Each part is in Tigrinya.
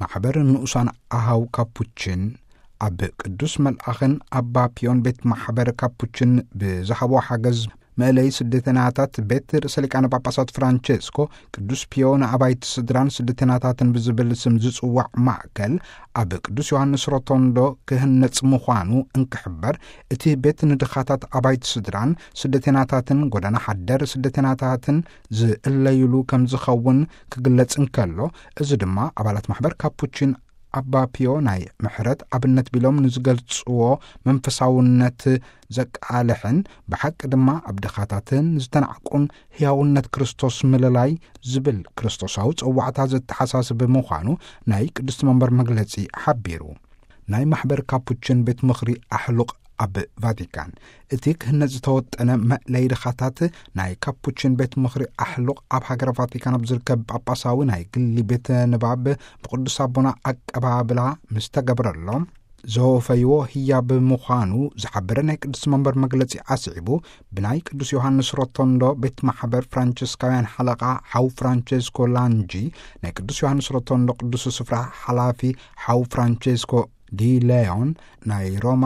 ማሕበር ንኡሳን ኣሃው ካፑችን ኣብ ቅዱስ መልኣኽን ኣባ ፒዮን ቤት ማሕበር ካፑችን ብዝሃቦ ሓገዝ መእለይ ስደተናታት ቤት ርእሰ ሊቃነ ጳጳሳት ፍራንቼስኮ ቅዱስ ፒዮ ንኣባይቲ ስድራን ስደተናታትን ብዝብል ስም ዝጽዋዕ ማእከል ኣብ ቅዱስ ዮሃንስ ሮቶንዶ ክህነጽ ምዃኑ እንክሕበር፣ እቲ ቤት ንድኻታት ኣባይቲ ስድራን ስደተናታትን ጎደና ሓደር ስደተናታትን ዝእለዩሉ ከም ዝኸውን ክግለጽ እንከሎ፣ እዚ ድማ ኣባላት ማሕበር ካፑችን ኣባ ፒዮ ናይ ምሕረት ኣብነት ቢሎም ንዝገልጽዎ መንፈሳውነት ዘቃልሕን ብሓቂ ድማ ኣብ ድኻታትን ዝተናዕቁን ህያውነት ክርስቶስ ምልላይ ዝብል ክርስቶሳዊ ጸዋዕታ ዘተሓሳስብ ምዃኑ ናይ ቅድስቲ መንበር መግለጺ ሓቢሩ። ናይ ማሕበር ካፑችን ቤት ምኽሪ ኣሕሉቕ ኣብ ቫቲካን፣ እቲ ክህነጽ ዝተወጠነ መእለይ ድኻታት ናይ ካፑችን ቤት ምኽሪ ኣሕሉቕ ኣብ ሃገረ ቫቲካን ኣብ ዝርከብ ጳጳሳዊ ናይ ግሊ ቤተ ንባብ ብቅዱስ ኣቦና ኣቀባብላ ምስ ተገብረሎም ዘወፈይዎ ህያብ ምዃኑ ዝሓበረ ናይ ቅዱስ መንበር መግለጺ ኣስዒቡ፣ ብናይ ቅዱስ ዮሃንስ ሮቶንዶ ቤት ማሕበር ፍራንቸስካውያን ሓለቓ ሓው ፍራንቸስኮ ላንጂ፣ ናይ ቅዱስ ዮሃንስ ሮቶንዶ ቅዱስ ስፍራ ሓላፊ ሓው ፍራንቸስኮ ዲ ሌዮን፣ ናይ ሮማ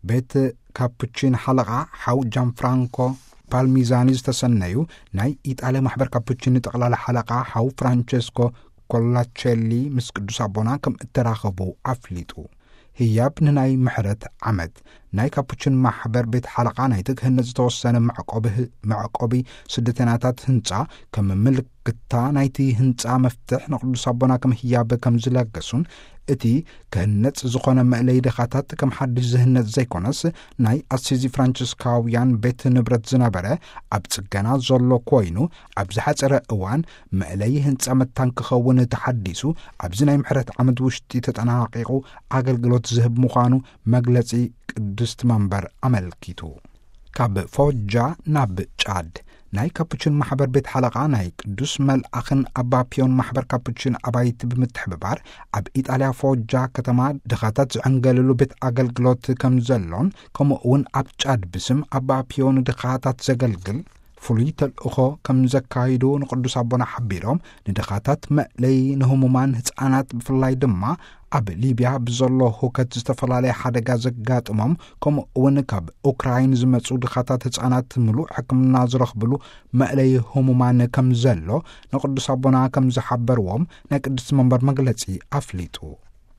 ቤት ካፑቺን ሓለቓ ሓው ጃንፍራንኮ ፓልሚዛኒ ዝተሰነዩ፣ ናይ ኢጣልያ ማሕበር ካፑቺን ጠቕላላ ሓለቓ ሓው ፍራንቸስኮ ኮላቸሊ ምስ ቅዱስ ኣቦና ከም እተራኸቡ ኣፍሊጡ። ህያብ ንናይ ምሕረት ዓመት ናይ ካፑችን ማሕበር ቤት ሓለቓ ናይቲ ክህነጽ ዝተወሰነ መዕቆቢ፣ መዕቆቢ ስደተናታት ህንጻ ከም ምልክታ ናይቲ ህንጻ መፍትሕ ንቅዱስ ኣቦና ከም ህያብ ከም ዝለገሱን፣ እቲ ክህነጽ ዝኾነ መእለይ ድኻታት ከም ሓድሽ ዝህነጽ ዘይኮነስ፣ ናይ ኣሲዚ ፍራንቸስካውያን ቤት ንብረት ዝነበረ ኣብ ጽገና ዘሎ ኮይኑ፣ ኣብ ዝሓጸረ እዋን መእለይ ህንጻ መታን ክኸውን ተሓዲሱ፣ ኣብዚ ናይ ምሕረት ዓመት ውሽጢ ተጠናቂቑ ኣገልግሎት ዝህብ ምዃኑ መግለጺ ቅድስቲ መንበር ኣመልኪቱ። ካብ ፎጃ ናብ ጫድ። ናይ ካፑችን ማሕበር ቤት ሓለቓ ናይ ቅዱስ መልኣኽን ኣባ ፒዮን ማሕበር ካፑችን ኣባይቲ ብምትሕብባር፣ ኣብ ኢጣልያ ፎጃ ከተማ ድኻታት ዝዕንገለሉ ቤት ኣገልግሎት ከም ዘሎን፣ ከምኡ እውን ኣብ ጫድ ብስም ኣባ ፒዮን ድኻታት ዘገልግል ፍሉይ ተልእኾ ከም ዘካይዱ ንቅዱስ ኣቦና ሓቢሮም፣ ንድኻታት መእለይ፣ ንህሙማን ህጻናት ብፍላይ ድማ ኣብ ሊብያ ብዘሎ ሁከት ዝተፈላለየ ሓደጋ ዘጋጥሞም፣ ከምኡ እውን ካብ ኡክራይን ዝመጹ ድኻታት ህጻናት ምሉእ ሕክምና ዝረኽብሉ መእለይ ህሙማን ከም ዘሎ ንቅዱስ ኣቦና ከም ዝሓበርዎም ናይ ቅድስቲ መንበር መግለጺ ኣፍሊጡ።